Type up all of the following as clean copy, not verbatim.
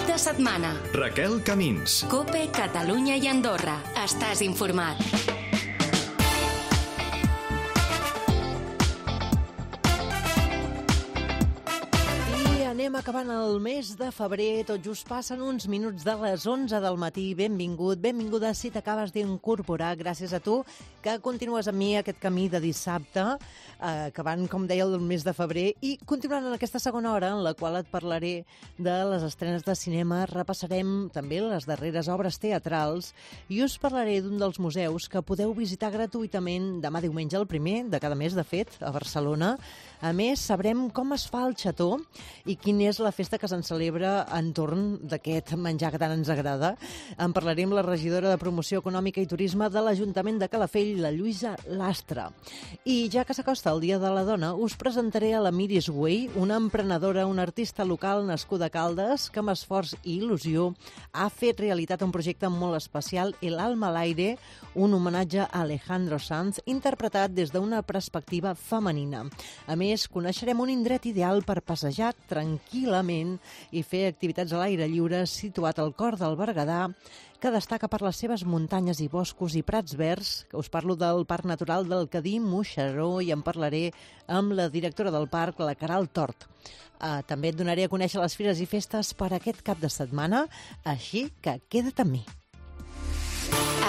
de setmana. Raquel Camins. COPE, Catalunya i Andorra. Estàs informat. Anem acabant el mes de febrer, tot just passen uns minuts de les 11 del matí. Benvinguda si t'acabes d'incorporar. Gràcies a tu que continues amb mi aquest camí de dissabte, acabant, com deia, el mes de febrer, i continuant en aquesta segona hora en la qual et parlaré de les estrenes de cinema, repassarem també les darreres obres teatrals i us parlaré d'un dels museus que podeu visitar gratuïtament demà diumenge, el primer de cada mes, de fet, a Barcelona. A més, sabrem com es fa el xató i quina és la festa que se'n celebra entorn d'aquest menjar que tant ens agrada. En parlaré amb la regidora de Promoció Econòmica i Turisme de l'Ajuntament de Calafell, la Lluïsa Lastra. I ja que s'acosta el Dia de la Dona, us presentaré a la Miris Way, una emprenedora, una artista local nascuda a Caldes, que amb esforç i il·lusió ha fet realitat un projecte molt especial, El alma al aire, un homenatge a Alejandro Sanz, interpretat des d'una perspectiva femenina. A més, coneixerem un indret ideal per passejar tranquil·lament i fer activitats a l'aire lliure situat al cor del Berguedà, que destaca per les seves muntanyes i boscos i prats verds, que us parlo del Parc Natural del Cadí-Moixeró i en parlaré amb la directora del parc, la Caral Tort. També et donaré a conèixer les fires i festes per aquest cap de setmana, així que queda't amb mi.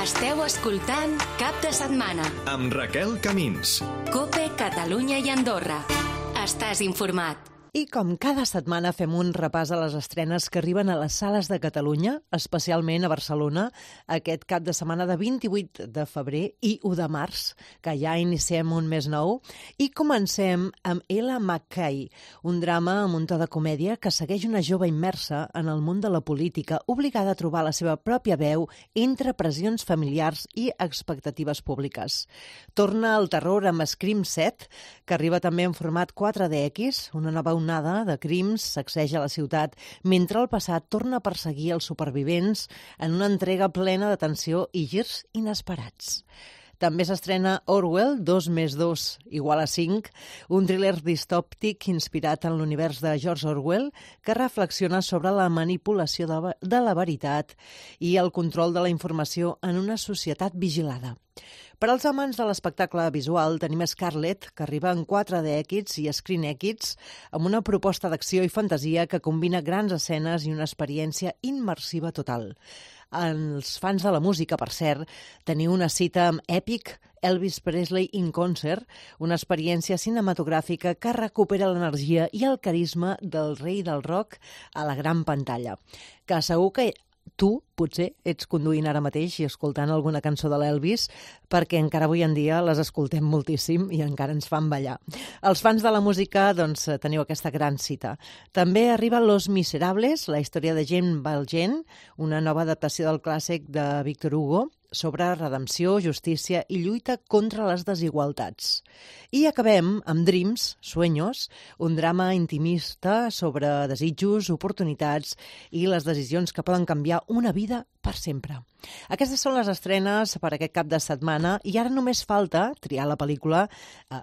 Esteu escoltant Cap de Setmana amb Raquel Camins. COPE, Catalunya i Andorra. Estàs informat. I com cada setmana fem un repàs a les estrenes que arriben a les sales de Catalunya, especialment a Barcelona, aquest cap de setmana de 28 de febrer i 1 de març, que ja iniciem un mes nou. I comencem amb Ella McKay, un drama amb un to de comèdia que segueix una jove immersa en el món de la política, obligada a trobar la seva pròpia veu entre pressions familiars i expectatives públiques. Torna el terror amb Scream 7, que arriba també en format 4DX, una nova onada de crims sacseja la ciutat mentre el passat torna a perseguir els supervivents en una entrega plena de tensió i girs inesperats. També s'estrena Orwell, 2+2 = 5, un thriller distòpic inspirat en l'univers de George Orwell que reflexiona sobre la manipulació de la veritat i el control de la informació en una societat vigilada. Per als amants de l'espectacle visual tenim Scarlet, que arriba en 4DX i ScreenX, amb una proposta d'acció i fantasia que combina grans escenes i una experiència immersiva total. Els fans de la música, per cert, teniu una cita amb Epic, Elvis Presley in Concert, una experiència cinematogràfica que recupera l'energia i el carisma del rei del rock a la gran pantalla, que segur que tu, potser, ets conduint ara mateix i escoltant alguna cançó de l'Elvis, perquè encara avui en dia les escoltem moltíssim i encara ens fan ballar. Els fans de la música, doncs, teniu aquesta gran cita. També arriba Los Miserables, la història de Jane Valjean, una nova adaptació del clàssic de Victor Hugo, sobre redempció, justícia i lluita contra les desigualtats. I acabem amb Dreams, Sueños, un drama intimista sobre desitjos, oportunitats i les decisions que poden canviar una vida per sempre. Aquestes són les estrenes per aquest cap de setmana i ara només falta triar la pel·lícula,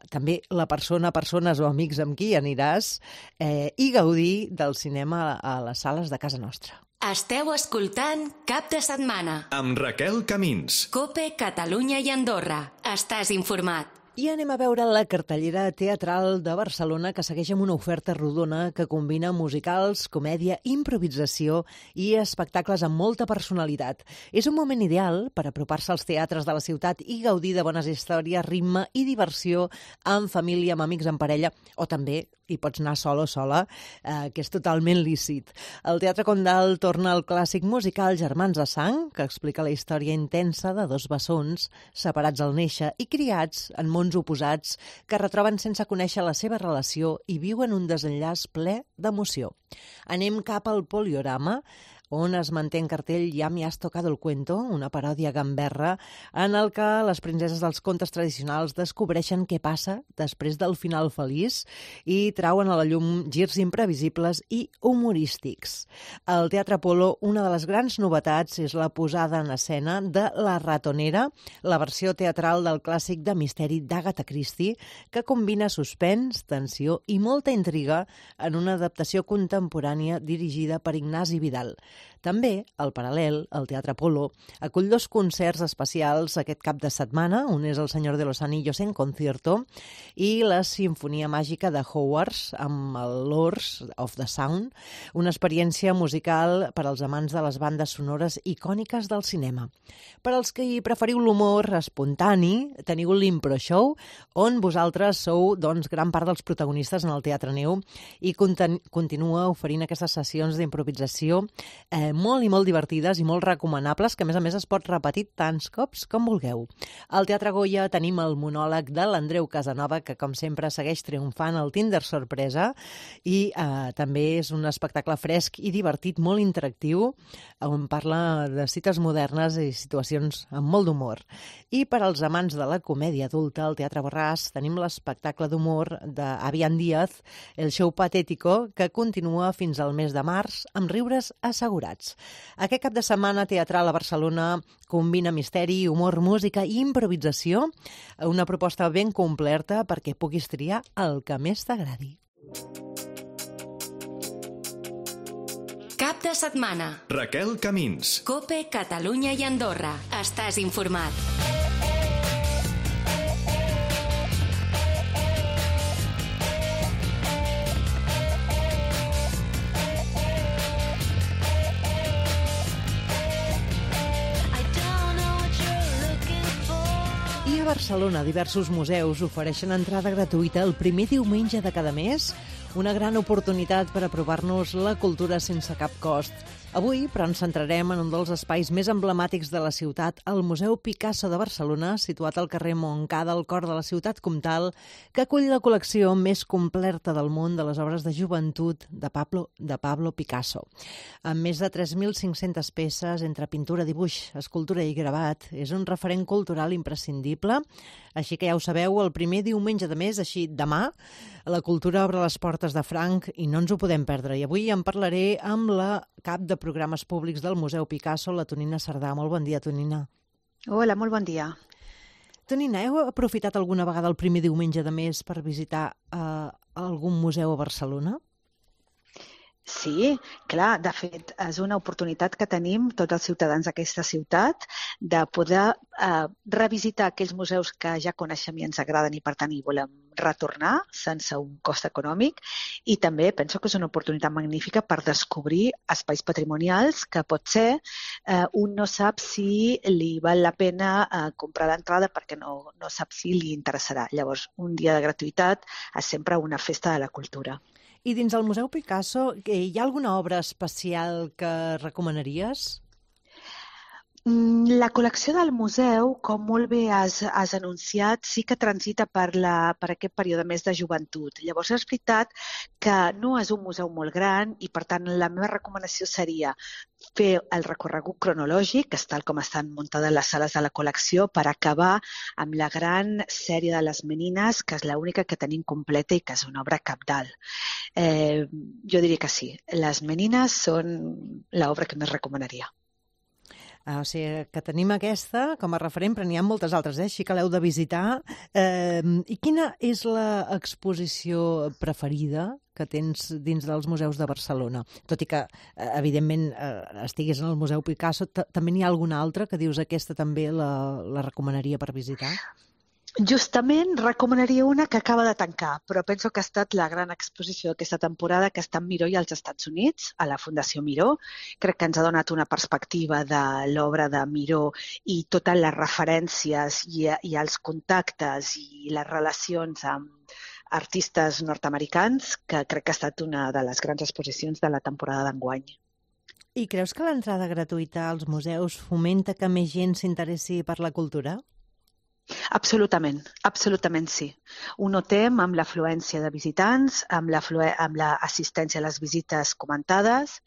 també la persona, persones o amics amb qui aniràs i gaudir del cinema a les sales de casa nostra. Esteu escoltant Cap de Setmana amb Raquel Camins. COPE, Catalunya i Andorra. Estàs informat. I anem a veure la cartellera teatral de Barcelona, que segueix amb una oferta rodona que combina musicals, comèdia, improvisació i espectacles amb molta personalitat. És un moment ideal per apropar-se als teatres de la ciutat i gaudir de bones històries, ritme i diversió amb família, amb amics, en parella, o també hi pots anar sol o sola, que és totalment lícit. El Teatre Condal torna al clàssic musical Germans de Sang, que explica la història intensa de dos bessons separats al néixer i criats en mons oposats que retroben sense conèixer la seva relació i viuen un desenllaç ple d'emoció. Anem cap al Poliorama, on es manté en cartell Ja me has tocado el cuento, una paròdia gamberra en el que les princeses dels contes tradicionals descobreixen què passa després del final feliç i trauen a la llum girs imprevisibles i humorístics. Al Teatre Apolo, una de les grans novetats és la posada en escena de La ratonera, la versió teatral del clàssic de misteri d'Agatha Christie, que combina suspens, tensió i molta intriga en una adaptació contemporània dirigida per Ignasi Vidal. També, al paral·lel, el Teatre Apolo acull 2 concerts especials aquest cap de setmana. Un és El Senyor de los Anillos en concierto i la Simfonia Màgica de Hogwarts amb el Lords of the Sound, una experiència musical per als amants de les bandes sonores icòniques del cinema. Per als que hi preferiu l'humor espontani, teniu l'Impro Show, on vosaltres sou gran part dels protagonistes en el Teatre Neu i continua oferint aquestes sessions d'improvisació molt i molt divertides i molt recomanables, que a més es pot repetir tants cops com vulgueu. Al Teatre Goya tenim el monòleg de l'Andreu Casanova, que com sempre segueix triomfant al Tinder sorpresa, i també és un espectacle fresc i divertit, molt interactiu, on parla de cites modernes i situacions amb molt d'humor. I per als amants de la comèdia adulta, al Teatre Borràs tenim l'espectacle d'humor d'Avian Díaz, El show patético, que continua fins al mes de març amb riures assegurats. Aquest cap de setmana teatral a Barcelona combina misteri, humor, música i improvisació, una proposta ben completa perquè puguis triar el que més t'agradi. Cap de setmana. Raquel Camins. COPE, Catalunya i Andorra. Estàs informat. A Barcelona, diversos museus ofereixen entrada gratuïta el primer diumenge de cada mes, una gran oportunitat per aprovar-nos la cultura sense cap cost. Avui, però, ens centrarem en un dels espais més emblemàtics de la ciutat, el Museu Picasso de Barcelona, situat al carrer Montcada, al cor de la ciutat comtal, que acull la col·lecció més completa del món de les obres de joventut de Pablo Picasso. Amb més de 3.500 peces entre pintura, dibuix, escultura i gravat, és un referent cultural imprescindible. Així que ja ho sabeu, el primer diumenge de mes, així demà, la cultura obre les portes de franc i no ens ho podem perdre. I avui en parlaré amb la cap de programes públics del Museu Picasso, la Tonina Cerdà. Molt bon dia, Tonina. Hola, molt bon dia. Tonina, heu aprofitat alguna vegada el primer diumenge de mes per visitar algun museu a Barcelona? Sí, clar, de fet, és una oportunitat que tenim tots els ciutadans d'aquesta ciutat de poder revisitar aquells museus que ja coneixem i ens agraden i, per tant, hi volem retornar sense un cost econòmic, i també penso que és una oportunitat magnífica per descobrir espais patrimonials que potser un no sap si li val la pena comprar l'entrada perquè no sap si li interessarà. Llavors, un dia de gratuïtat és sempre una festa de la cultura. I dins el Museu Picasso, hi ha alguna obra especial que recomanaries? La col·lecció del museu, com molt bé has anunciat, sí que transita per aquest període més de joventut. Llavors, és veritat que no és un museu molt gran i, per tant, la meva recomanació seria fer el recorregut cronològic, que és tal com estan muntades les sales de la col·lecció, per acabar amb la gran sèrie de les Menines, que és l'única que tenim completa i que és una obra cabdal. Jo diria que sí. Les Menines són l'obra que més recomanaria. O sigui, que tenim aquesta com a referent, però n'hi ha moltes altres, així que l'heu de visitar. I quina és l'exposició preferida que tens dins dels museus de Barcelona? Tot i que, evidentment, estiguis en el Museu Picasso, també n'hi ha alguna altra que dius aquesta també la recomanaria per visitar? Justament recomanaria una que acaba de tancar, però penso que ha estat la gran exposició d'aquesta temporada, que està en Miró i als Estats Units, a la Fundació Miró. Crec que ens ha donat una perspectiva de l'obra de Miró i totes les referències i els contactes i les relacions amb artistes nord-americans, que crec que ha estat una de les grans exposicions de la temporada d'enguany. I creus que l'entrada gratuïta als museus fomenta que més gent s'interessi per la cultura? Absolutament, absolutament sí. Ho notem amb l'afluència de visitants, amb l'assistència a les visites comentades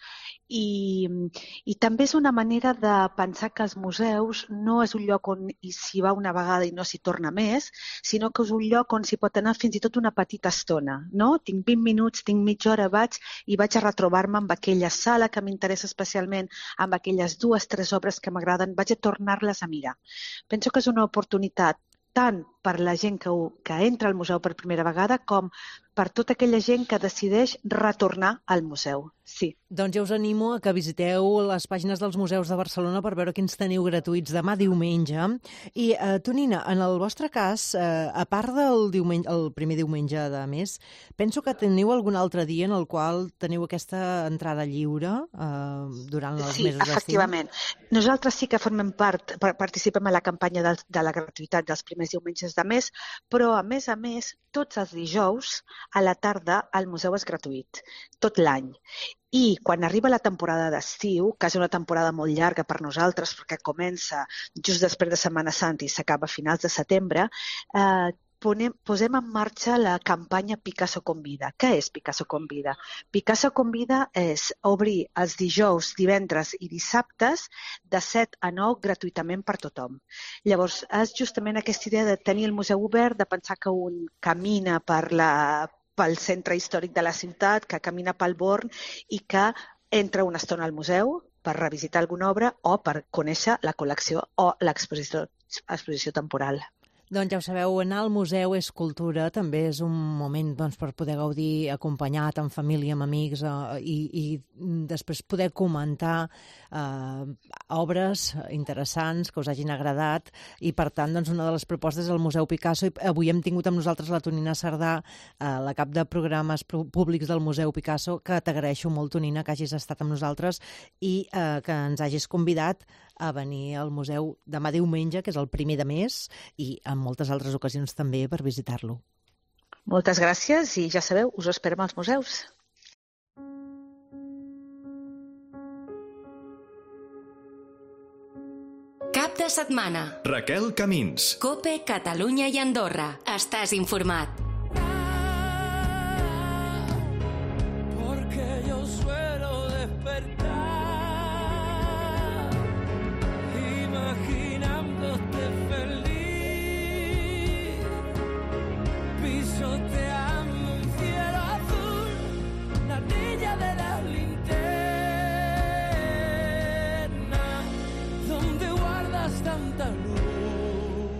i també és una manera de pensar que els museus no és un lloc on s'hi va una vegada i no s'hi torna més, sinó que és un lloc on s'hi pot anar fins i tot una petita estona. No? Tinc 20 minuts, tinc mitja hora, vaig a retrobar-me amb aquella sala que m'interessa especialment, amb aquelles 2 o 3 obres que m'agraden, vaig a tornar-les a mirar. Penso que és una oportunitat tant per la gent que entra al museu per primera vegada com per tota aquella gent que decideix retornar al museu. Sí. Doncs ja us animo a que visiteu les pàgines dels museus de Barcelona per veure quins teniu gratuïts demà diumenge. I, Tonina, en el vostre cas, a part del el primer diumenge de mes, penso que teniu algun altre dia en el qual teniu aquesta entrada lliure durant els mesos d'estiu. Sí, efectivament. Nosaltres sí que formem part, participem a la campanya de la gratuïtat dels primers diumenges de mes, però a més, tots els dijous a la tarda el museu és gratuït, tot l'any. I quan arriba la temporada d'estiu, que és una temporada molt llarga per nosaltres, perquè comença just després de Setmana Santa i s'acaba a finals de setembre, posem en marxa la campanya Picasso Convida. Què és Picasso Convida? Picasso Convida és obrir els dijous, divendres i dissabtes de 7 a 9 gratuïtament per tothom. Llavors, és justament aquesta idea de tenir el museu obert, de pensar que un camina pel centre històric de la ciutat, que camina pel Born i que entra una estona al museu per revisitar alguna obra o per conèixer la col·lecció o l'exposició temporal. Doncs ja ho sabeu, anar al museu és cultura, també és un moment per poder gaudir acompanyat, en família, amb amics, i després poder comentar obres interessants que us hagin agradat, i per tant una de les propostes és el Museu Picasso, i avui hem tingut amb nosaltres la Tonina Cerdà, la cap de programes públics del Museu Picasso, que t'agraeixo molt, Tonina, que hagis estat amb nosaltres i que ens hagis convidat a venir al museu demà diumenge, que és el primer de mes, i en moltes altres ocasions també per visitar-lo. Moltes gràcies i ja sabeu, us esperem als museus. Cap de setmana. Raquel Camins. COPE, Catalunya i Andorra. Estàs informat. Porque yo suelo despertar imaginándote feliz, pisoteando un cielo azul, la orilla de la linterna, donde guardas tanta luz.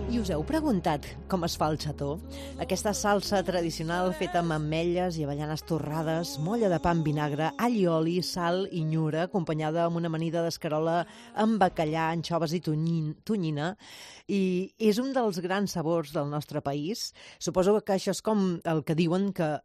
I us heu preguntat com es fa el xató? Aquesta salsa tradicional feta amb ametlles i avellanes torrades, molla de pa amb vinagre, all i oli, sal i nyura, acompanyada amb una amanida d'escarola amb bacallà, anxoves i tonyina, i és un dels grans sabors del nostre país. Suposo que això és com el que diuen que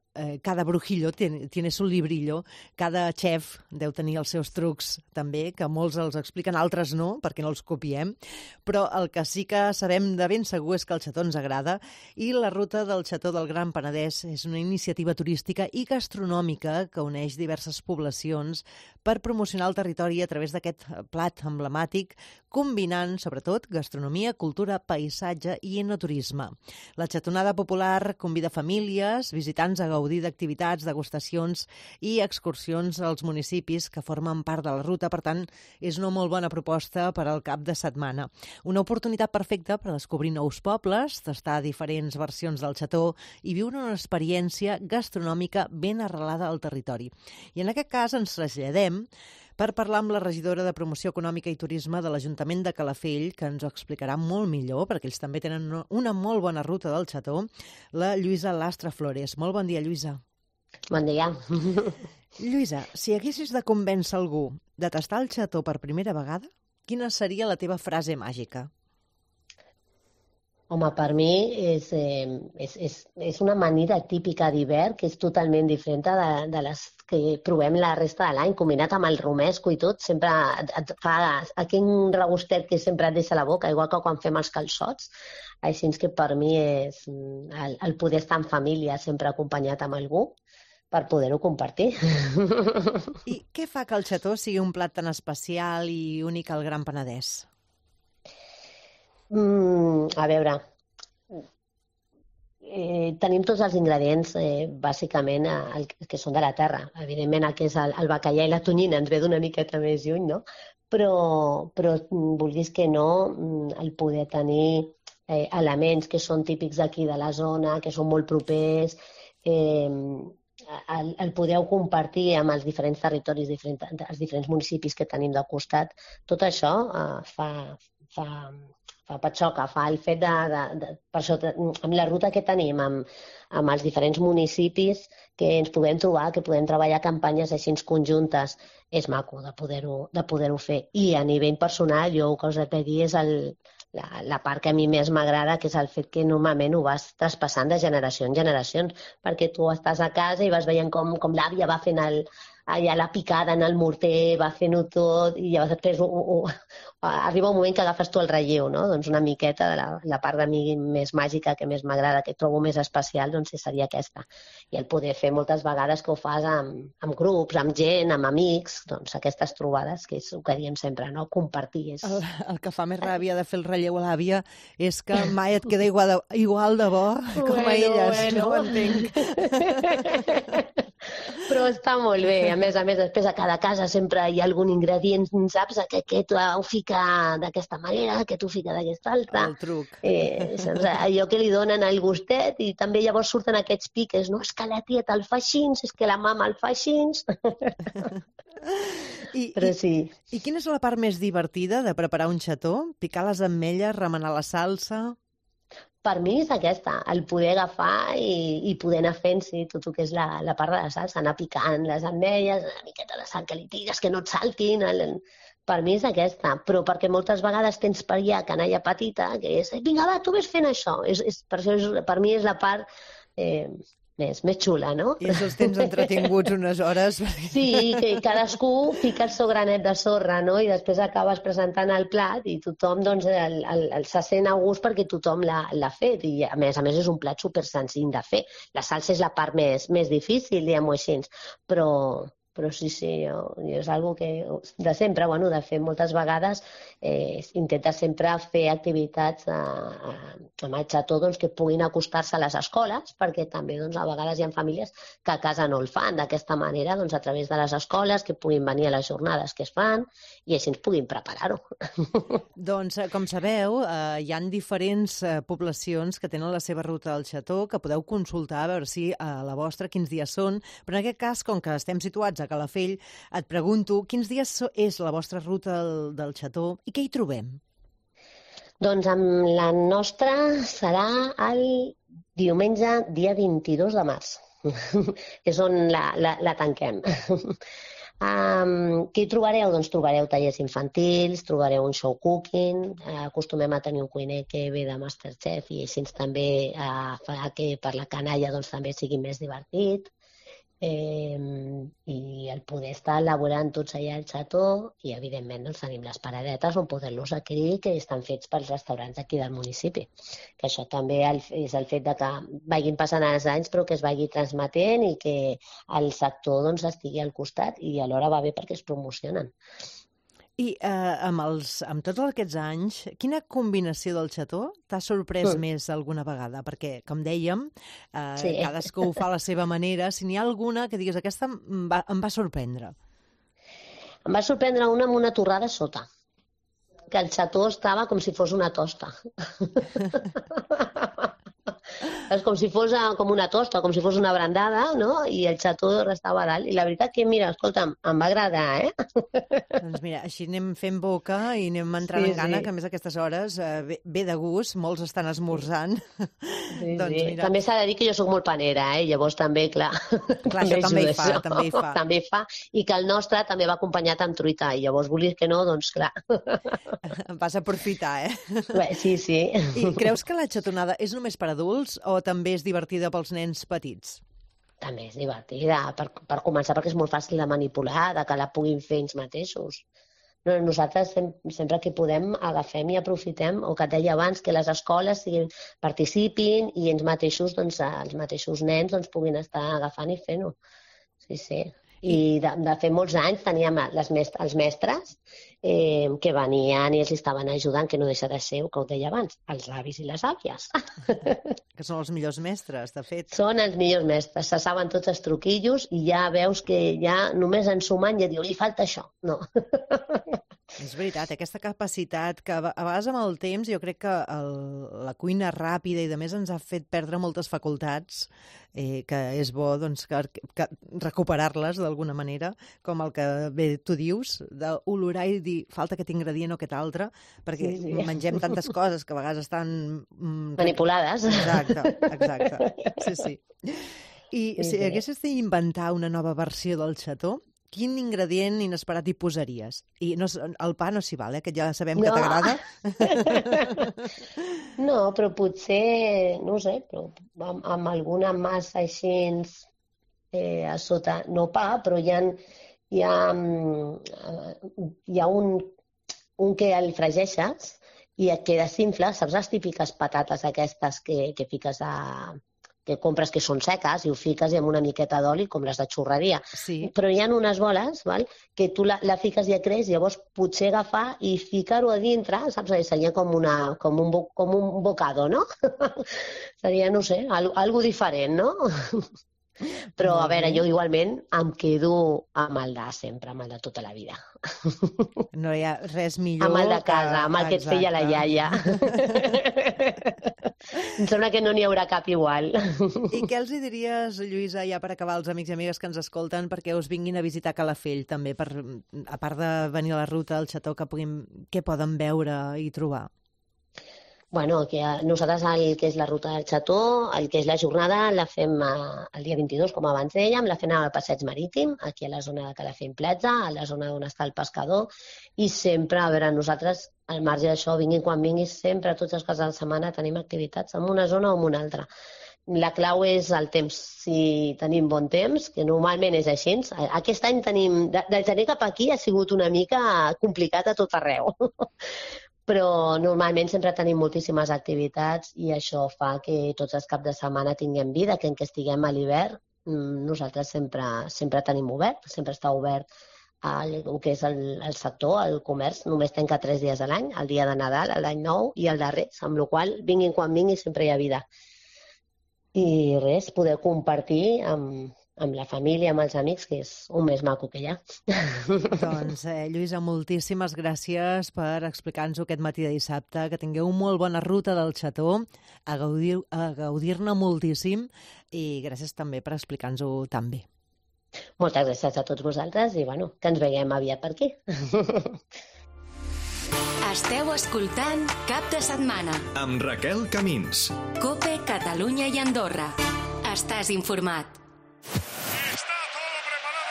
cada brujillo tiene su librillo, cada xef deu tenir els seus trucs també, que molts els expliquen, altres no, perquè no els copiem, però el que sí que sabem de ben segur és que el xató ens agrada, i la ruta del xató del Gran Penedès és una iniciativa turística i gastronòmica que uneix diverses poblacions per promocionar el territori a través d'aquest plat emblemàtic, combinant, sobretot, gastronomia, cultura, paisatge i enoturisme. La xatonada popular convida famílies, visitants a gaudir d'activitats, degustacions i excursions als municipis que formen part de la ruta. Per tant, és una molt bona proposta per al cap de setmana. Una oportunitat perfecta per descobrir nous pobles, tastar diferents versions del xató i viure una experiència gastronòmica ben arrelada al territori. I en aquest cas ens traslladem per parlar amb la regidora de Promoció Econòmica i Turisme de l'Ajuntament de Calafell, que ens ho explicarà molt millor, perquè ells també tenen una molt bona ruta del xató, la Lluïsa Lastra Flores. Molt bon dia, Lluïsa. Bon dia. Lluïsa, si haguessis de convèncer algú de tastar el xató per primera vegada, quina seria la teva frase màgica? Home, per mi és una amanida típica d'hivern que és totalment diferent de les que provem la resta de l'any, combinat amb el romesco i tot, sempre et fa aquell regustet que sempre et deixa a la boca, igual que quan fem els calçots. Així que per mi és el poder estar en família, sempre acompanyat amb algú, per poder-ho compartir. I què fa que el xató sigui un plat tan especial i únic al Gran Penedès? A veure, tenim tots els ingredients, bàsicament, que són de la terra. Evidentment, el que és el bacallà i la tonyina ens ve d'una miqueta més lluny, no? Però vulguis que no, el poder tenir elements que són típics aquí de la zona, que són molt propers, el podeu compartir amb els diferents territoris, els diferents municipis que tenim de costat, tot això fa patxoca, fa el fet per això, amb la ruta que tenim, amb els diferents municipis que ens podem trobar, que podem treballar campanyes així conjuntes, és maco de poder-ho fer. I a nivell personal, jo el que us he de dir és la part que a mi més m'agrada, que és el fet que normalment ho vas traspassant de generació en generació, perquè tu estàs a casa i vas veient com l'àvia va fent allà la picada en el morter, va fent-ho tot, i llavors després arriba un moment que agafes tu el relleu, no? Doncs una miqueta de la part de mi més màgica, que més m'agrada, que trobo més especial, doncs seria aquesta. I el poder fer moltes vegades que ho fas amb grups, amb gent, amb amics, doncs aquestes trobades, que és el que diem sempre, no? Compartir. El que fa més ràbia de fer el relleu a l'àvia és que mai et queda igual de bo com a elles, no ho entenc. Però està molt bé. A més, després a cada casa sempre hi ha algun ingredient, saps? Que tu ho fica d'aquesta manera, que tu fica d'aquesta altra. El truc. Allò que li donen el gustet, i també llavors surten aquests piques, no? És que la tieta el fa així, és que la mama el fa així. Però sí. I quina és la part més divertida de preparar un xató? Picar les ametlles, remenar la salsa? Per mi és aquesta, el poder agafar i poder anar fent tot el que és la part de la salsa, anar picant les ametlles, una miqueta de sal que li tires, que no et saltin. Per mi és aquesta, però perquè moltes vegades tens per allà canalla petita, que és, vinga, va, tu ves fent això. Per mi és la part més xula, no? I els tens entretinguts unes hores. Sí, que cadascú fica el seu granet de sorra, no? I després acabes presentant el plat i tothom doncs, se sent a gust perquè tothom l'ha fet. I a més és un plat super senzill de fer. La salsa és la part més difícil, diguem-ho així, però sí, és algo que de sempre, de fer moltes vegades, intenta sempre fer activitats amb el xató que puguin acostar-se a les escoles, perquè també a vegades hi ha famílies que a casa no el fan d'aquesta manera, a través de les escoles, que puguin venir a les jornades que es fan i així ens puguin preparar-ho. Doncs, com sabeu, hi ha diferents poblacions que tenen la seva ruta del xató, que podeu consultar a veure si a la vostra quins dies són, però en aquest cas, com que estem situats a Calafell, et pregunto quins dies és la vostra ruta del xató i què hi trobem? Doncs amb la nostra serà el diumenge, dia 22 de març, que és on la tanquem. Què hi trobareu? Doncs trobareu tallers infantils, trobareu un show cooking, acostumem a tenir un cuiner que ve de Masterchef i així també fa que per la canalla també sigui més divertit. I el poder estar elaborant tots allà al xató i, evidentment, tenim les paradetes on poder-los adquirir, que estan fets pels restaurants aquí del municipi. Que això també és el fet de que vagin passant els anys, però que es vagi transmetent i que el sector estigui al costat i alhora va bé perquè es promocionen. I amb tots aquests anys, quina combinació del xató t'ha sorprès més alguna vegada? Perquè, com dèiem, cadascú ho fa a la seva manera. Si n'hi ha alguna que digues, aquesta em va sorprendre. Em va sorprendre una amb una torrada sota, que el xató estava com si fos una tosta. És com si fos com una tosta, com si fos una brandada, no? I el xató restava a dalt. I la veritat que, mira, escolta'm, em va agradar, Doncs mira, així anem fent boca i anem entrant en gana, que a més a aquestes hores ve de gust, molts estan esmorzant. Doncs, mira... També s'ha de dir que jo sóc molt panera, llavors també, clar... Clar, això també hi fa. També hi fa, i que el nostre també va acompanyat amb truita, i llavors volies que no, doncs clar. Vas aprofitar, Bé, sí. I creus que la xatonada és només per adults o també és divertida pels nens petits? També és divertida, per començar, perquè és molt fàcil de manipular, de que la puguin fer ells mateixos. Nosaltres sempre que podem agafem i aprofitem, o que et deia abans, que les escoles participin i ells mateixos, els mateixos nens puguin estar agafant i fent-ho. Sí. I de fer molts anys teníem els mestres que venien i els estaven ajudant, que no deixa de ser, que ho deia abans, els avis i les àvies. Que són els millors mestres, de fet. Són els millors mestres, se saben tots els truquillos i ja veus que ja només en sumant ja diu, li falta això. No. És veritat, aquesta capacitat que a vegades amb el temps jo crec que la cuina ràpida i de més ens ha fet perdre moltes facultats, que és bo doncs, que recuperar-les d'alguna manera, com el que bé tu dius, d'olorar i dir falta aquest ingredient o aquest altre, perquè mengem tantes coses que a vegades estan... manipulades. Exacte. Sí. I si haguessis d'inventar una nova versió del xató, quin ingredient inesperat hi posaries? I el pa no s'hi val, que ja sabem que t'agrada. No, però potser, no ho sé, però amb alguna massa així a sota, no pa, però hi ha un que el fregeixes i et queda simple, saps les típiques patates aquestes que fiques que compres que són seques i ho fiques i amb una miqueta d'oli com les de xurreria. Sí. Però hi ha unes boles, val, que tu la fiques i ja creix, llavors potser agafar i ficar-ho a dintre, saps? Seria com un bocado, no? Seria, no sé, algo diferent, no? Però, a veure, jo igualment em quedo amb el de sempre, amb el de tota la vida. No hi ha res millor amb el de casa, amb el que et feia la iaia. Em sembla que no n'hi haurà cap igual. I què els diries, Lluïsa, ja per acabar, als amics i amigues que ens escolten, perquè us vinguin a visitar Calafell, també, a part de venir a la ruta del xató, què poden veure i trobar? Bueno, que nosaltres el que és la ruta del xató, el que és la jornada, la fem el dia 22, com abans dèiem, la fem al Passeig Marítim, aquí a la zona de Calafell Platja, a la zona on està el pescador, i sempre, a veure, nosaltres, al marge d'això, vinguin quan vinguin, sempre, tots els caps de setmana, tenim activitats en una zona o en una altra. La clau és el temps, si tenim bon temps, que normalment és així. Aquest any tenim, de gener cap aquí ha sigut una mica complicat a tot arreu. Però normalment sempre tenim moltíssimes activitats i això fa que tots els caps de setmana tinguem vida, que en què estiguem a l'hivern nosaltres sempre tenim obert, sempre està obert el que és el sector, el comerç, només tanca 3 dies a l'any, el dia de Nadal, l'any nou i el darrer, amb la qual cosa vinguin quan vinguin sempre hi ha vida. I res, poder compartir amb la família, amb els amics, que és un més maco que hi ha. Doncs, Lluïsa, moltíssimes gràcies per explicar-nos aquest matí de dissabte, que tingueu una molt bona ruta del xató, a gaudir-ne moltíssim, i gràcies també per explicar-nos-ho tan bé. Moltes gràcies a tots vosaltres i, bueno, que ens veiem aviat per aquí. Esteu escoltant Cap de Setmana. Amb Raquel Camins. COPE, Catalunya i Andorra. Estàs informat.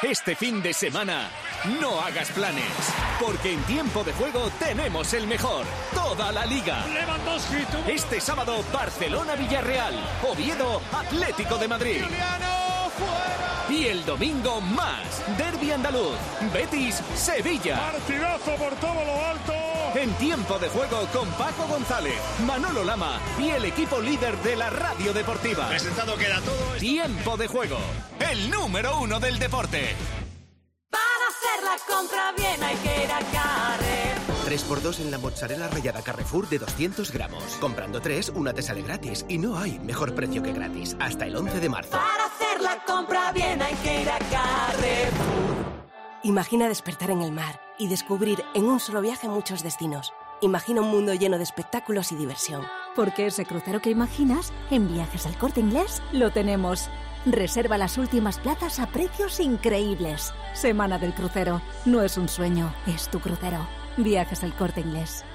Este fin de semana, no hagas planes, porque en tiempo de juego tenemos el mejor, toda la Liga. Este sábado, Barcelona-Villarreal, Oviedo, Atlético de Madrid. Y el domingo más, Derbi andaluz, Betis-Sevilla. Partidazo por todo lo alto. En tiempo de juego con Paco González, Manolo Lama y el equipo líder de la radio deportiva. Presentado queda todo. Tiempo de juego, el número 1 del deporte. Para hacer la compra bien hay que ir a Carrefour. 3x2 en la mozzarella rallada Carrefour de 200 gramos. Comprando 3, una te sale gratis. Y no hay mejor precio que gratis. Hasta el 11 de marzo. Para hacer la compra bien hay que ir a Carrefour. Imagina despertar en el mar y descubrir en un solo viaje muchos destinos. Imagina un mundo lleno de espectáculos y diversión. Porque ese crucero que imaginas, en Viajes al Corte Inglés, lo tenemos. Reserva las últimas plazas a precios increíbles. Semana del crucero. No es un sueño, es tu crucero. Viajes al Corte Inglés.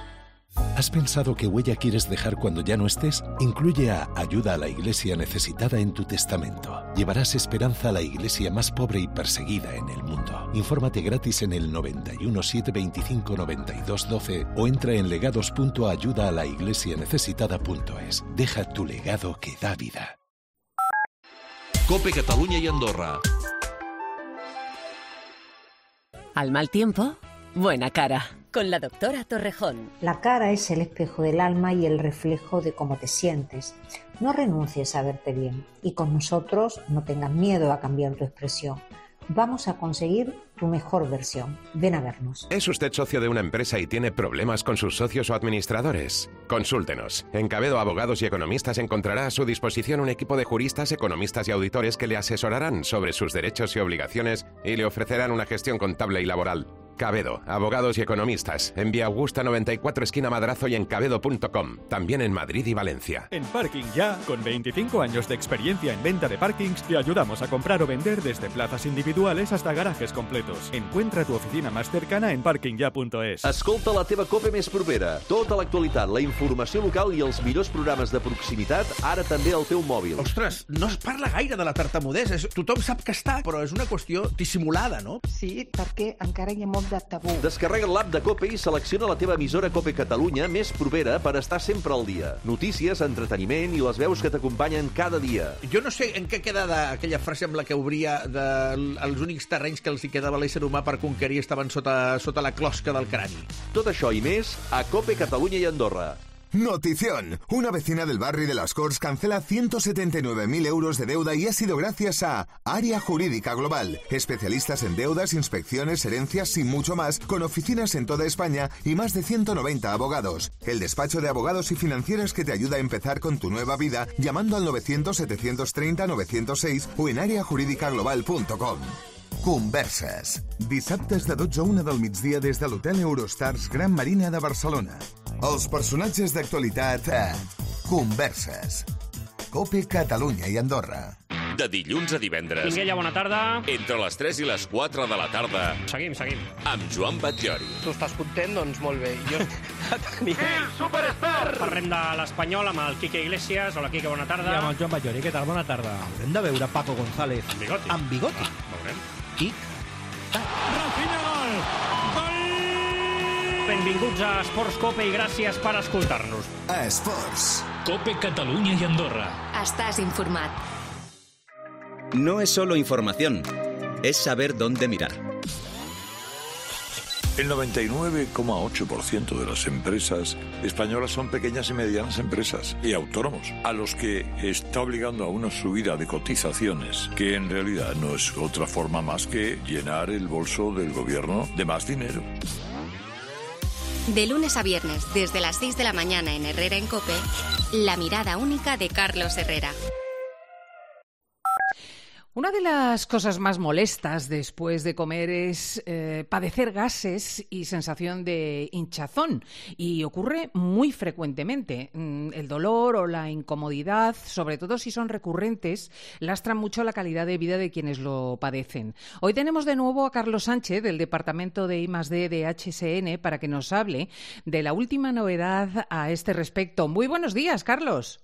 ¿Has pensado qué huella quieres dejar cuando ya no estés? Incluye a Ayuda a la Iglesia Necesitada en tu testamento. Llevarás esperanza a la iglesia más pobre y perseguida en el mundo. Infórmate gratis en el 91 725 92 12 o entra en legados.ayudaalaIglesianecesitada.es. Deja tu legado que da vida. COPE Catalunya y Andorra. Al mal tiempo, buena cara. Con la doctora Torrejón. La cara es el espejo del alma y el reflejo de cómo te sientes. No renuncies a verte bien y con nosotros no tengas miedo a cambiar tu expresión. vamos a conseguir tu mejor versión. Ven a vernos. ¿Es usted socio de una empresa y tiene problemas con sus socios o administradores? Consúltenos. En Cabedo Abogados y Economistas encontrará a su disposición un equipo de juristas, economistas y auditores que le asesorarán sobre sus derechos y obligaciones y le ofrecerán una gestión contable y laboral. Cabedo, Abogados y Economistas, en Vía Augusta 94, esquina Madrazo y en cabedo.com, también en Madrid y Valencia. En Parking Ya, con 25 años de experiencia en venta de parkings, te ayudamos a comprar o vender desde plazas individuales hasta garajes completos. Encuentra tu oficina más cercana en parkingya.es. Escolta la teva COPE més propera. Tota l'actualitat, la informació local i els millors programes de proximitat, ara també al teu mòbil. Ostres, no es parla gaire de la tartamudesa. Tothom sap que està, però és una qüestió dissimulada, no? Sí, perquè encara hi ha molt de tabú. Descarrega l'app de COPE i selecciona la teva emissora COPE Catalunya més propera per estar sempre al dia. Notícies, entreteniment i les veus que t'acompanyen cada dia. Jo no sé en què queda aquella frase amb la que obria els únics terrenys que els hi quedava a l'ésser humà per conquerir estaven sota la closca del crani. Tot això i més a COPE Catalunya i Andorra. Notición. Una vecina del barrio de Las Corts cancela 179.000 euros de deuda y ha sido gracias a Área Jurídica Global. Especialistas en deudas, inspecciones, herencias y mucho más, con oficinas en toda España y más de 190 abogados. El despacho de abogados y financieras que te ayuda a empezar con tu nueva vida llamando al 900-730-906 o en areajuridicaglobal.com. Converses. Dissabtes de 12 a 1 del migdia des de l'Hotel Eurostars Gran Marina de Barcelona. Els personatges d'actualitat a Converses. COPE Catalunya i Andorra. De dilluns a divendres. Minguella, bona tarda. Entre les 3 i les 4 de la tarda. Seguim. Amb Joan Batllori. Tu estàs content? Doncs molt bé. Jo Superstar! Parlem de l'Espanyol amb el Quique Iglesias. Hola, Quique, bona tarda. I amb el Joan Batllori. Què tal? Bona tarda. Haurem de veure Paco González. Amb bigoti. Amb bigoti. Veurem. I... Rafinha, gol! Benvinguts a Esports Cope i gràcies per escoltar-nos. A Esports. Cope Catalunya i Andorra. Estàs informat. No es solo información, es saber dónde mirar. El 99,8% de las empresas españolas son pequeñas y medianas empresas y autónomos, a los que está obligando a una subida de cotizaciones, que en realidad no es otra forma más que llenar el bolso del gobierno de más dinero. De lunes a viernes, desde las 6 de la mañana en Herrera en COPE, la mirada única de Carlos Herrera. Una de las cosas más molestas después de comer es padecer gases y sensación de hinchazón. Y ocurre muy frecuentemente. El dolor o la incomodidad, sobre todo si son recurrentes, lastran mucho la calidad de vida de quienes lo padecen. Hoy tenemos de nuevo a Carlos Sánchez, del Departamento de I+D de HSN, para que nos hable de la última novedad a este respecto. Muy buenos días, Carlos.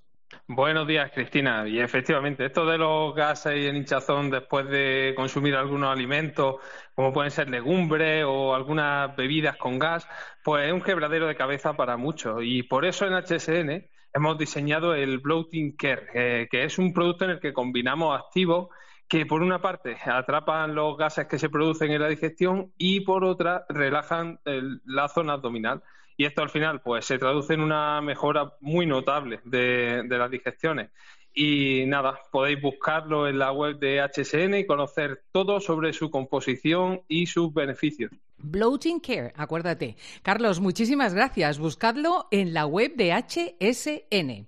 Buenos días, Cristina. Y efectivamente, esto de los gases y el hinchazón después de consumir algunos alimentos, como pueden ser legumbres o algunas bebidas con gas, pues es un quebradero de cabeza para muchos. Y por eso en HSN hemos diseñado el Bloating Care, que es un producto en el que combinamos activos que por una parte atrapan los gases que se producen en la digestión y por otra relajan la zona abdominal. Y esto al final pues se traduce en una mejora muy notable de las digestiones. Y nada, podéis buscarlo en la web de HSN y conocer todo sobre su composición y sus beneficios. Bloating Care, acuérdate. Carlos, muchísimas gracias. Buscadlo en la web de HSN.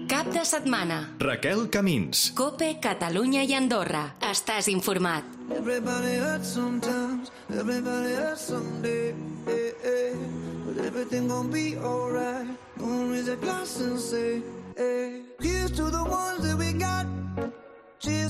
Cap de setmana. Raquel Camins. COPE Catalunya i Andorra. Estàs informat. Everybody hurts sometimes, everybody hurts someday, but everything gon' be alright. Gonna raise a glass and say, here's to the ones that we got. I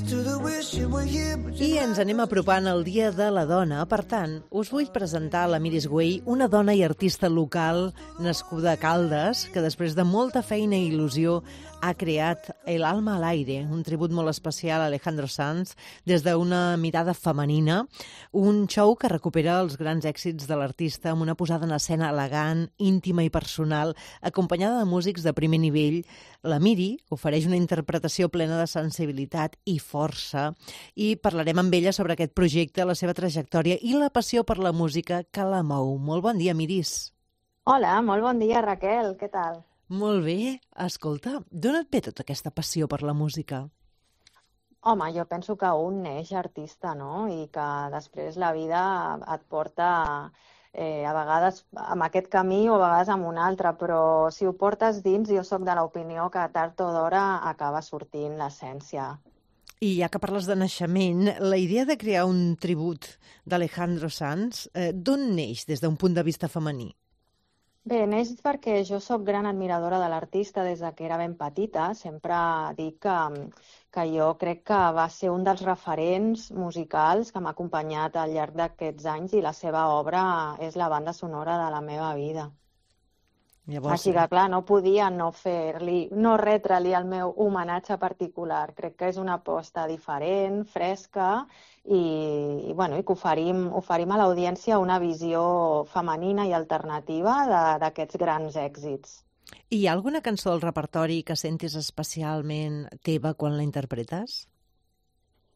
ens anem apropant al Dia de la Dona. Per tant, us vull presentar la Miris Güell, una dona i artista local nascuda a Caldes, que després de molta feina i il·lusió ha creat El alma al aire, un tribut molt especial a Alejandro Sanz, des d'una mirada femenina, un show que recupera els grans èxits de l'artista amb una posada en escena elegant, íntima i personal, acompanyada de músics de primer nivell. La Miri ofereix una interpretació plena de sensibilitat i força i parlarem amb ella sobre aquest projecte, la seva trajectòria i la passió per la música que la mou. Molt bon dia, Miris. Hola, molt bon dia, Raquel. Què tal? Molt bé. Escolta, d'on et ve tota aquesta passió per la música? Home, jo penso que un neix artista, no? I que després la vida et porta a vegades amb aquest camí o a vegades amb un altre, però si ho portes dins, jo sóc de l'opinió que tard o d'hora acaba sortint l'essència. I ja que parles de naixement, la idea de crear un tribut d'Alejandro Sanz, d'on neix des d'un punt de vista femení? Bé, neix perquè jo sóc gran admiradora de l'artista des que era ben petita. Sempre dic que jo crec que va ser un dels referents musicals que m'ha acompanyat al llarg d'aquests anys i la seva obra és la banda sonora de la meva vida. Llavors, així que, clar, no podia no retre-li el meu homenatge particular. Crec que és una aposta diferent, fresca i que oferim a l'audiència una visió femenina i alternativa d'aquests grans èxits. Hi ha alguna cançó del repertori que sentis especialment teva quan la interpretes?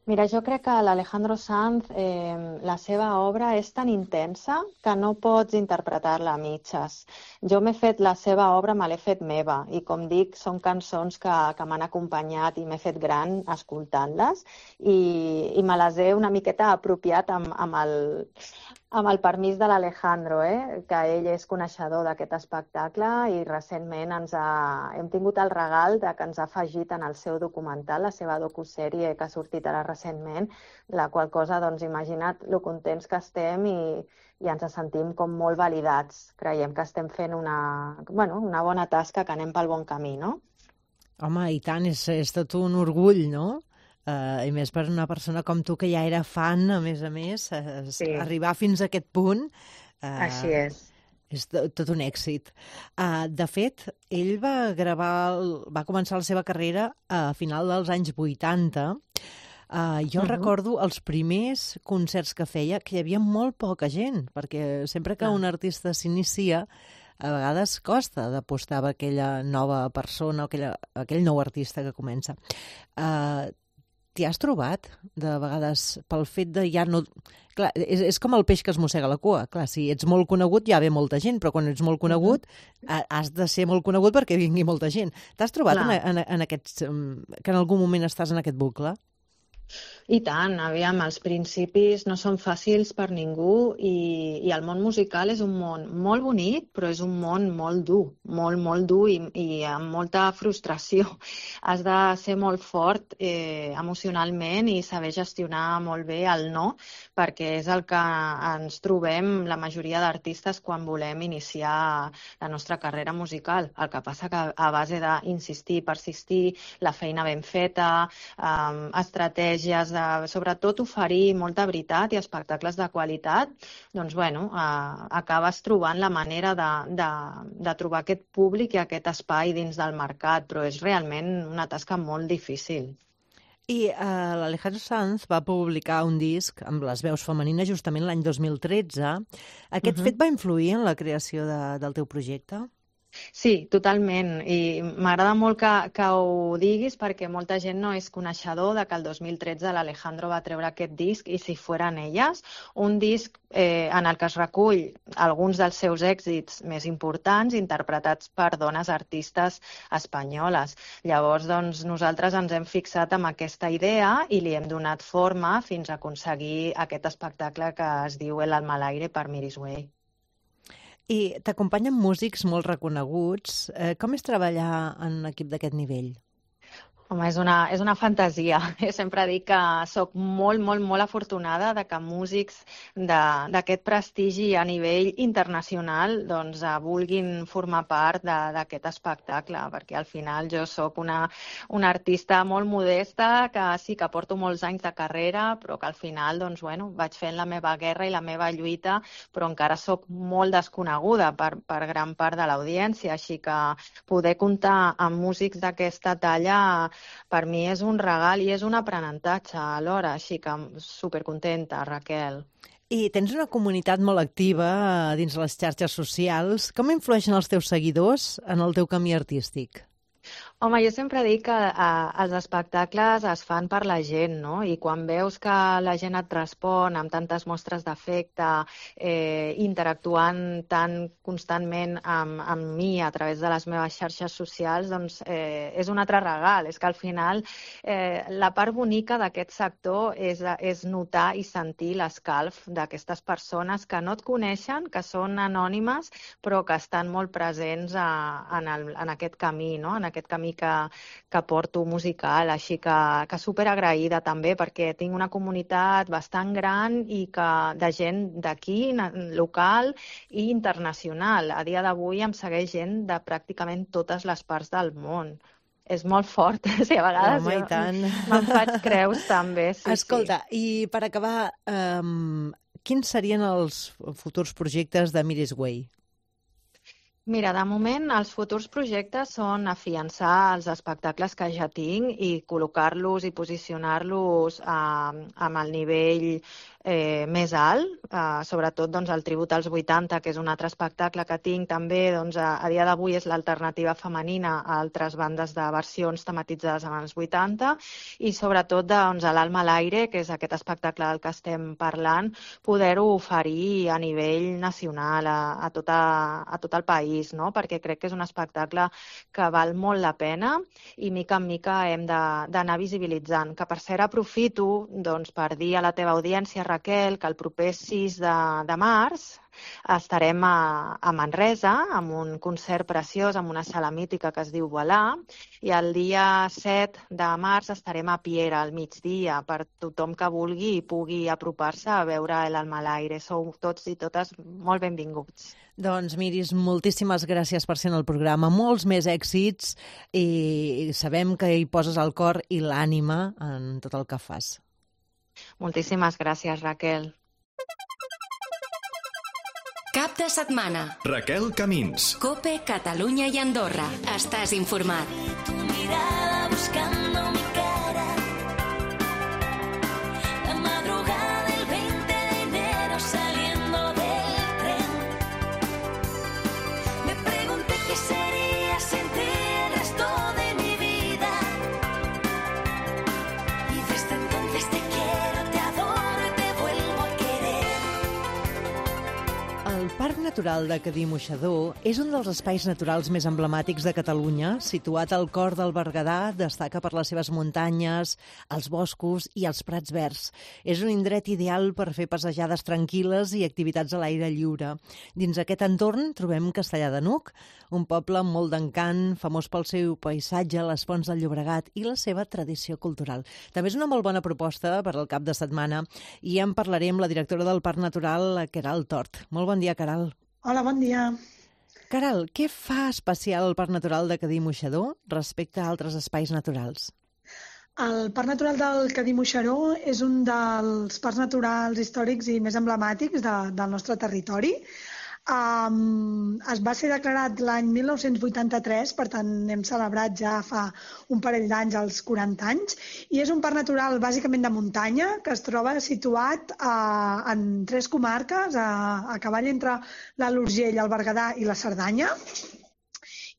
Mira, jo crec que l'Alejandro Sanz, la seva obra és tan intensa que no pots interpretar-la a mitges. Jo m'he fet la seva obra, me l'he fet meva, i com dic, són cançons que m'han acompanyat i m'he fet gran escoltant-les, i me les he una miqueta apropiat amb el permís de l'Alejandro, que ell és coneixedor d'aquest espectacle i recentment hem tingut el regal que ens ha afegit en el seu documental, la seva docusèrie que ha sortit ara recentment, la qual cosa, doncs, imagina't lo contents que estem i ens sentim com molt validats. Creiem que estem fent una bona tasca, que anem pel bon camí, no? Home, i tant, és tot un orgull, no? I més per una persona com tu, que ja era fan, a més, sí. Arribar fins a aquest punt... Així és. És tot un èxit. De fet, ell va començar la seva carrera a final dels anys 80. Jo recordo els primers concerts que feia, que hi havia molt poca gent, perquè sempre que un artista s'inicia, a vegades costa d'apostar a aquella nova persona, aquell nou artista que comença. T'hi has trobat, de vegades, pel fet de ja no... Clar, és com el peix que es mossega la cua. Clar, si ets molt conegut ja ve molta gent, però quan ets molt conegut has de ser molt conegut perquè vingui molta gent. T'has trobat en aquests... que en algun moment estàs en aquest bucle? I tant, aviam, els principis no són fàcils per ningú i el món musical és un món molt bonic, però és un món molt dur, molt dur i amb molta frustració. Has de ser molt fort emocionalment i saber gestionar molt bé el no, perquè és el que ens trobem la majoria d'artistes quan volem iniciar la nostra carrera musical. El que passa que a base d'insistir, persistir, la feina ben feta, estratègies sobretot oferir molta veritat i espectacles de qualitat, doncs, acabes trobant la manera de trobar aquest públic i aquest espai dins del mercat, però és realment una tasca molt difícil. I l'Alejandro Sanz va publicar un disc amb les veus femenines justament l'any 2013. Aquest fet va influir en la creació del teu projecte? Sí, totalment. I m'agrada molt que ho diguis perquè molta gent no és coneixedor que el 2013 l'Alejandro va treure aquest disc I si fueran elles, un disc en el que es recull alguns dels seus èxits més importants interpretats per dones artistes espanyoles. Llavors, doncs, nosaltres ens hem fixat en aquesta idea i li hem donat forma fins a aconseguir aquest espectacle que es diu El alma al aire per Miris Way. I t'acompanyen músics molt reconeguts. Com és treballar en un equip d'aquest nivell? Home, és una fantasia. Sempre dic que sóc molt afortunada de que músics d'aquest prestigi a nivell internacional doncs, vulguin formar part d'aquest espectacle, perquè al final jo sóc una artista molt modesta, que sí que porto molts anys de carrera, però que al final doncs, vaig fent la meva guerra i la meva lluita, però encara sóc molt desconeguda per gran part de l'audiència, així que poder comptar amb músics d'aquesta talla per mi és un regal i és un aprenentatge alhora, així que supercontenta, Raquel. I tens una comunitat molt activa dins les xarxes socials. Com influeixen els teus seguidors en el teu camí artístic? Home, jo sempre dic que els espectacles es fan per la gent, no? I quan veus que la gent et respon amb tantes mostres d'afecte, interactuant tan constantment amb mi a través de les meves xarxes socials, doncs és un altre regal. És que al final la part bonica d'aquest sector és notar i sentir l'escalf d'aquestes persones que no et coneixen, que són anònimes, però que estan molt presents en aquest camí, no? En aquest camí que porto musical, així que superagraïda també, perquè tinc una comunitat bastant gran i de gent d'aquí, local i internacional. A dia d'avui em segueix gent de pràcticament totes les parts del món. És molt fort, a vegades me'n faig creus també. Escolta, i per acabar, quins serien els futurs projectes de Miris Way? Mira, de moment els futurs projectes són afiançar els espectacles que ja tinc i col·locar-los i posicionar-los amb el nivell més alt, sobretot el Tribut als 80, que és un altre espectacle que tinc també, a dia d'avui és l'alternativa femenina a altres bandes de versions tematitzades en els 80, i sobretot l'Alma a l'aire, que és aquest espectacle del que estem parlant, poder-ho oferir a nivell nacional a tot el país, no? Perquè crec que és un espectacle que val molt la pena i mica en mica hem d'anar visibilitzant. Que per cert aprofito per dir a la teva audiència, Raquel, que el proper 6 de març estarem a Manresa amb un concert preciós amb una sala mítica que es diu Voilà, i el dia 7 de març estarem a Piera al migdia per tothom que vulgui i pugui apropar-se a veure l'Alma a l'aire. Sou tots i totes molt benvinguts. Doncs Miris, moltíssimes gràcies per ser en el programa, molts més èxits i sabem que hi poses el cor i l'ànima en tot el que fas. Moltíssimes gràcies, Raquel. Cap de setmana. Raquel Camins. COPE, Catalunya i Andorra. Estàs informat. Tu mirada buscando mi cara. La madrugada del 20 de enero saliendo del tren. Me pregunté qué sería sin ti el resto de mi vida. Y desde entonces te quiero, te adoro y te vuelvo a querer. El Parc Natural de Cadí-Moixador és un dels espais naturals més emblemàtics de Catalunya. Situat al cor del Berguedà, destaca per les seves muntanyes, els boscos i els prats verds. És un indret ideal per fer passejades tranquil·les i activitats a l'aire lliure. Dins aquest entorn trobem Castellar de N'Hug, un poble amb molt d'encant, famós pel seu paisatge, les fonts del Llobregat i la seva tradició cultural. També és una molt bona proposta per al cap de setmana i en parlaré amb la directora del Parc Natural, la Queralt Tort. Molt bon dia, Queralt. Hola, bon dia. Queralt, què fa especial el Parc Natural de Cadí-Moixador respecte a altres espais naturals? El Parc Natural del Cadí-Moixador és un dels parcs naturals històrics i més emblemàtics del nostre territori. Es va ser declarat l'any 1983, per tant hem celebrat ja fa un parell d'anys els 40 anys, i és un parc natural bàsicament de muntanya que es troba situat en 3 comarques, a cavall entre l'Alt Urgell, el Berguedà i la Cerdanya.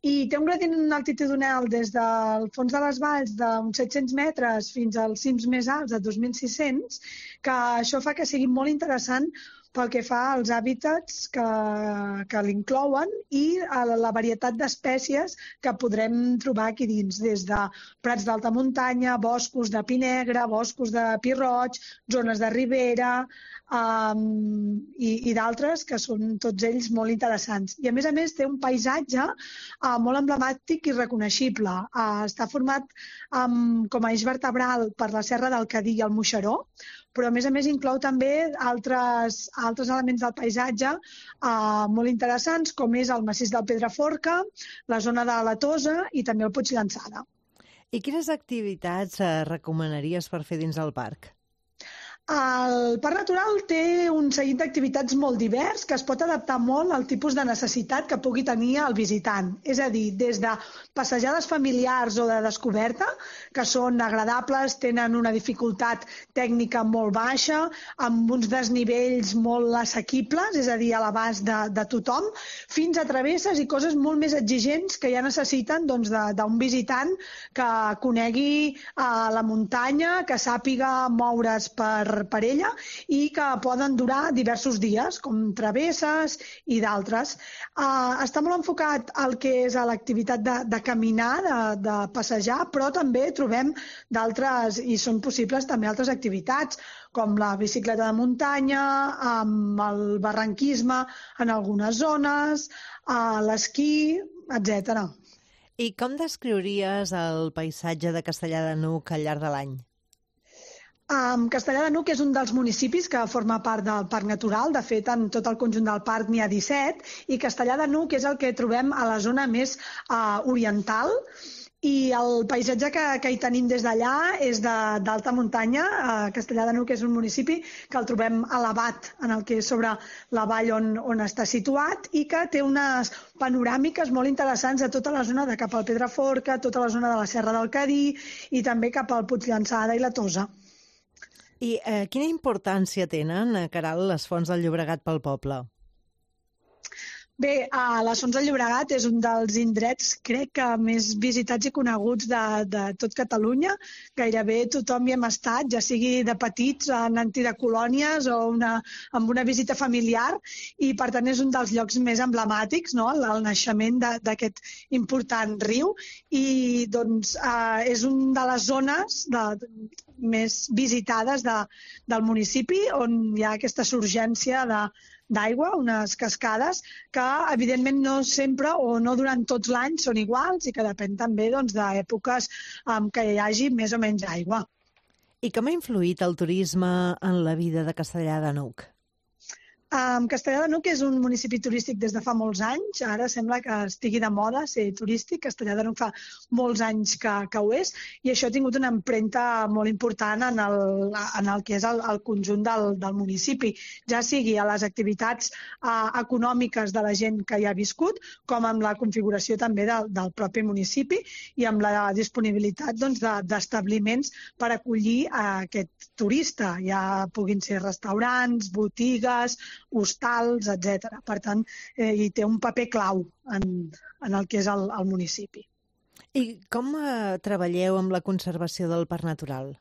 I té un gradient altitudinal des del fons de les valls d'uns 700 metres fins als cims més alts de 2.600, que això fa que sigui molt interessant pel que fa als hàbitats que l'inclouen i a la varietat d'espècies que podrem trobar aquí dins, des de prats d'alta muntanya, boscos de pi negre, boscos de pi roig, zones de ribera i d'altres que són tots ells molt interessants. I a més té un paisatge molt emblemàtic i reconeixible. Està format com a eix vertebral per la Serra del Cadí i el Moixeró, però a més inclou també altres elements del paisatge molt interessants, com és el massís del Pedraforca, la zona de la Tosa i també el Puig Llançada. I quines activitats recomanaries per fer dins del parc? El Parc Natural té un seguit d'activitats molt divers que es pot adaptar molt al tipus de necessitat que pugui tenir el visitant. És a dir, des de passejades familiars o de descoberta, que són agradables, tenen una dificultat tècnica molt baixa, amb uns desnivells molt assequibles, és a dir, a l'abast de tothom, fins a travesses i coses molt més exigents que ja necessiten d'un visitant que conegui la muntanya, que sàpiga moure's per ella i que poden durar diversos dies, com travesses i d'altres. Està molt enfocat al que és a l'activitat de caminar, de passejar, però també trobem d'altres, i són possibles també altres activitats, com la bicicleta de muntanya, amb el barranquisme en algunes zones, l'esquí, etc. I com descriuries el paisatge de Castellar de N'Hug al llarg de l'any? Castellar de N'Hug és un dels municipis que forma part del Parc Natural. De fet, en tot el conjunt del parc n'hi ha 17, i Castellar de N'Hug és el que trobem a la zona més oriental, i el paisatge que hi tenim des d'allà és d'alta muntanya. Castellar de N'Hug és un municipi que el trobem elevat en el que és sobre la vall on està situat, i que té unes panoràmiques molt interessants a tota la zona de cap al Pedraforca, tota la zona de la Serra del Cadí i també cap al Puig Llançada i la Tosa. I quina importància tenen, Caral, les fonts del Llobregat pel poble? Bé, les Fonts del Llobregat és un dels indrets, crec que més visitats i coneguts de tot Catalunya. Gairebé tothom hi hem estat, ja sigui de petits, anant de colònies o amb una visita familiar, i per tant és un dels llocs més emblemàtics, no?, el naixement d'aquest important riu, i doncs és una de les zones més visitades del municipi, on hi ha aquesta surgència d'aigua, unes cascades que evidentment no sempre o no durant tots l'any són iguals, i que depèn també d'èpoques que hi hagi més o menys aigua. I com ha influït el turisme en la vida de Castellar de N'Hug? Castellar de N'Hug és un municipi turístic des de fa molts anys. Ara sembla que estigui de moda ser turístic. Castellar de N'Hug fa molts anys que ho és, i això ha tingut una empremta molt important en el que és el conjunt del municipi, ja sigui a les activitats econòmiques de la gent que hi ha viscut, com amb la configuració també del propi municipi i amb la disponibilitat d'establiments per acollir aquest turista. Ja puguin ser restaurants, botigues, hostals, etc. Per tant, hi té un paper clau en el que és el municipi. I com treballeu amb la conservació del parc natural?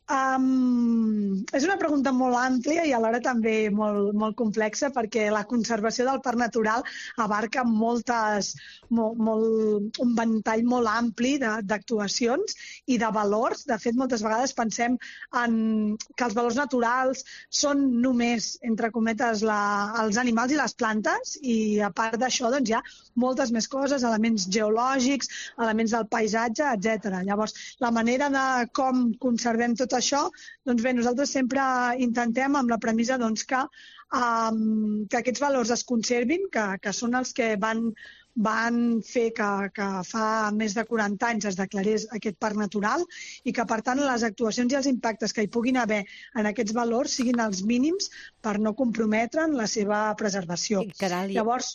És una pregunta molt àmplia i alhora també molt complexa, perquè la conservació del parc natural abarca un ventall molt ampli d'actuacions i de valors. De fet, moltes vegades pensem que els valors naturals són només, entre cometes, els animals i les plantes, i a part d'això hi ha moltes més coses, elements geològics, elements del paisatge, etc. Llavors, la manera de com conservem tot això, doncs bé, nosaltres sempre intentem amb la premissa que aquests valors es conservin, que són els que van fer que fa més de 40 anys es declarés aquest parc natural, i que, per tant, les actuacions i els impactes que hi puguin haver en aquests valors siguin els mínims per no comprometre la seva preservació. Caral, llavors...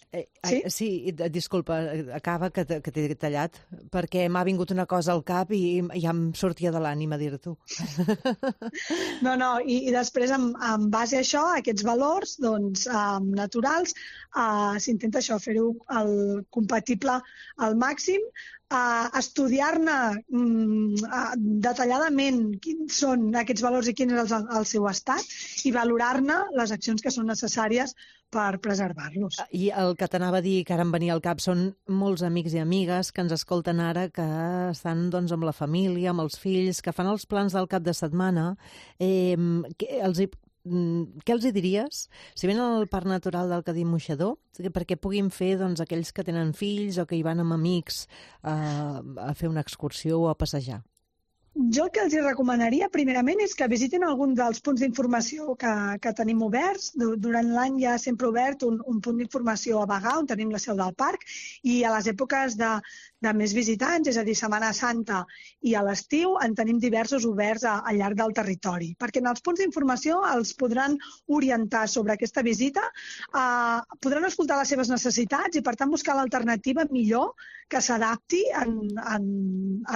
Sí, disculpa, acaba, que t'he tallat, perquè m'ha vingut una cosa al cap i ja em sortia de l'ànima dir-t'ho. No, i després, en base a això, aquests valors naturals, s'intenta això, fer-ho compatible al màxim, estudiar-ne detalladament quins són aquests valors i quin és el seu estat, i valorar-ne les accions que són necessàries per preservar-los. I el que t'anava a dir, que ara em venia al cap, són molts amics i amigues que ens escolten ara, que estan amb la família, amb els fills, que fan els plans del cap de setmana. Què els diries si venen al Parc Natural del Cadí Moixador, perquè puguin fer aquells que tenen fills o que hi van amb amics a fer una excursió o a passejar? Jo el que els recomanaria, primerament, és que visitin algun dels punts d'informació que tenim oberts. Durant l'any hi ha sempre obert un punt d'informació a Bagà, on tenim la seu del parc, i a les èpoques més visitants, és a dir, Setmana Santa i a l'estiu en tenim diversos oberts al llarg del territori, perquè en els punts d'informació els podran orientar sobre aquesta visita, podran escoltar les seves necessitats i, per tant, buscar l'alternativa millor que s'adapti en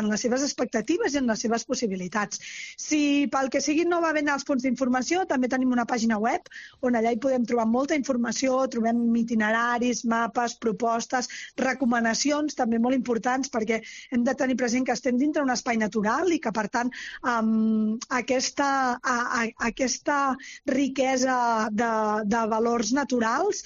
les seves expectatives i en les seves possibilitats. Si pel que sigui no va bé als punts d'informació, també tenim una pàgina web on allà hi podem trobar molta informació, trobem itineraris, mapes, propostes, recomanacions també molt importants, perquè hem de tenir present que estem dintre un espai natural i que, per tant, aquesta riquesa de valors naturals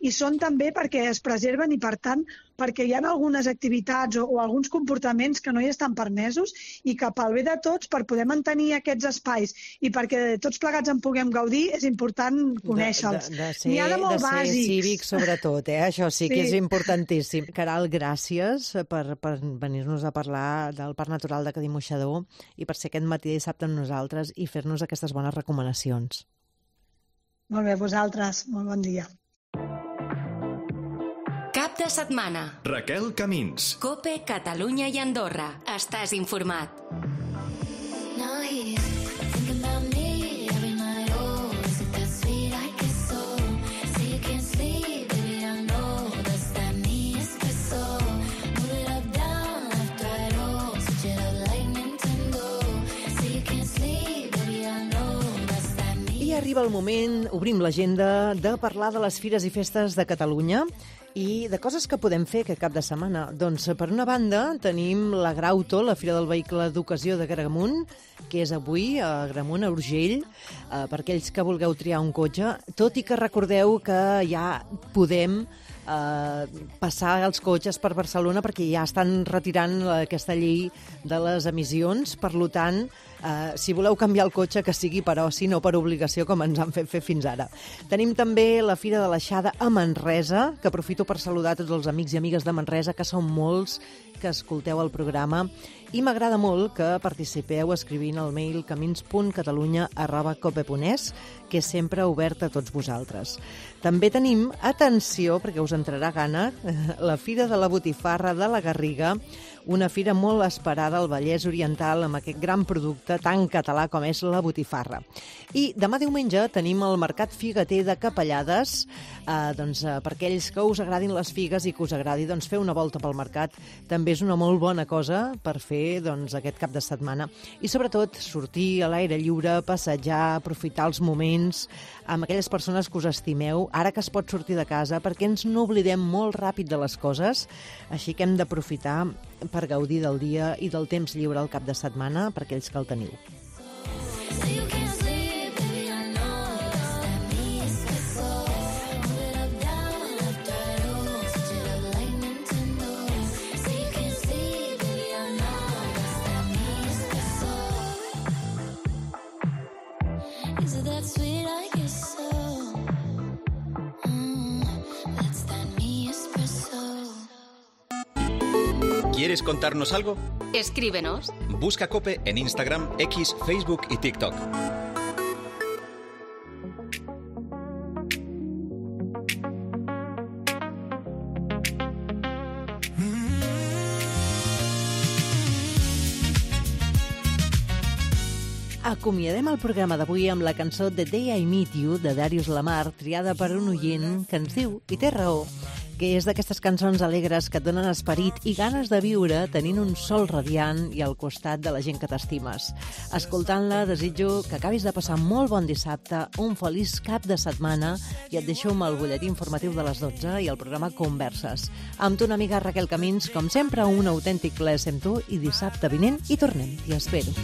hi són també perquè es preserven i, per tant, perquè hi ha algunes activitats o alguns comportaments que no hi estan permesos i que pel bé de tots, per poder mantenir aquests espais i perquè tots plegats en puguem gaudir, és important conèixer-los. N'hi ha de molt bàsics. De ser cívic, sobretot, això sí que és importantíssim. Caral, gràcies per venir-nos a parlar del Parc Natural de Cadí Moixador i per ser aquest matí de dissabte amb nosaltres i fer-nos aquestes bones recomanacions. Molt bé, vosaltres. Molt bon dia. Cap de setmana. Raquel Camins. COPE, Catalunya i Andorra. Estàs informat. I arriba el moment, obrim l'agenda, de parlar de les fires i festes de Catalunya i de coses que podem fer aquest cap de setmana. Doncs, per una banda, tenim la Grauto, la Fira del Vehicle d'Ocasió de Gramunt, que és avui a Gramunt, a Urgell, per aquells que vulgueu triar un cotxe, tot i que recordeu que ja podem passar els cotxes per Barcelona perquè ja estan retirant aquesta llei de les emissions. Per tant, si voleu canviar el cotxe, que sigui per oci, no per obligació, com ens han fet fer fins ara. Tenim també la Fira de l'Aixada a Manresa, que aprofito per saludar tots els amics i amigues de Manresa, que són molts, que escolteu el programa, i m'agrada molt que participeu escrivint al mail camins.catalunya@cope.es, que és sempre obert a tots vosaltres. També tenim, atenció, perquè us entrarà gana, la Fira de la Botifarra de la Garriga, una fira molt esperada al Vallès Oriental amb aquest gran producte tan català com és la botifarra. I demà diumenge tenim el Mercat Figueter de Capellades, per aquells que us agradin les figues i que us agradi fer una volta pel mercat, també és una molt bona cosa per fer aquest cap de setmana. I sobretot sortir a l'aire lliure, passejar, aprofitar els moments amb aquelles persones que us estimeu, ara que es pot sortir de casa, perquè ens n'oblidem molt ràpid de les coses, així que hem d'aprofitar per gaudir del dia i del temps lliure al cap de setmana per aquells que el teniu. ¿Quieres contarnos algo? Escríbenos. Busca COPE en Instagram, X, Facebook y TikTok. Acomiadem el programa d'avui amb la cançó The Day I Meet You, de Darius Lamar, triada per un oient que ens diu, i té raó, que és d'aquestes cançons alegres que et donen esperit i ganes de viure tenint un sol radiant i al costat de la gent que t'estimes. Escoltant-la, desitjo que acabis de passar molt bon dissabte, un feliç cap de setmana i et deixo amb el butlletí informatiu de les 12 i el programa Converses. Amb tu una amiga Raquel Camins, com sempre, un autèntic plaer ser amb tu i dissabte vinent hi tornem. T'hi espero.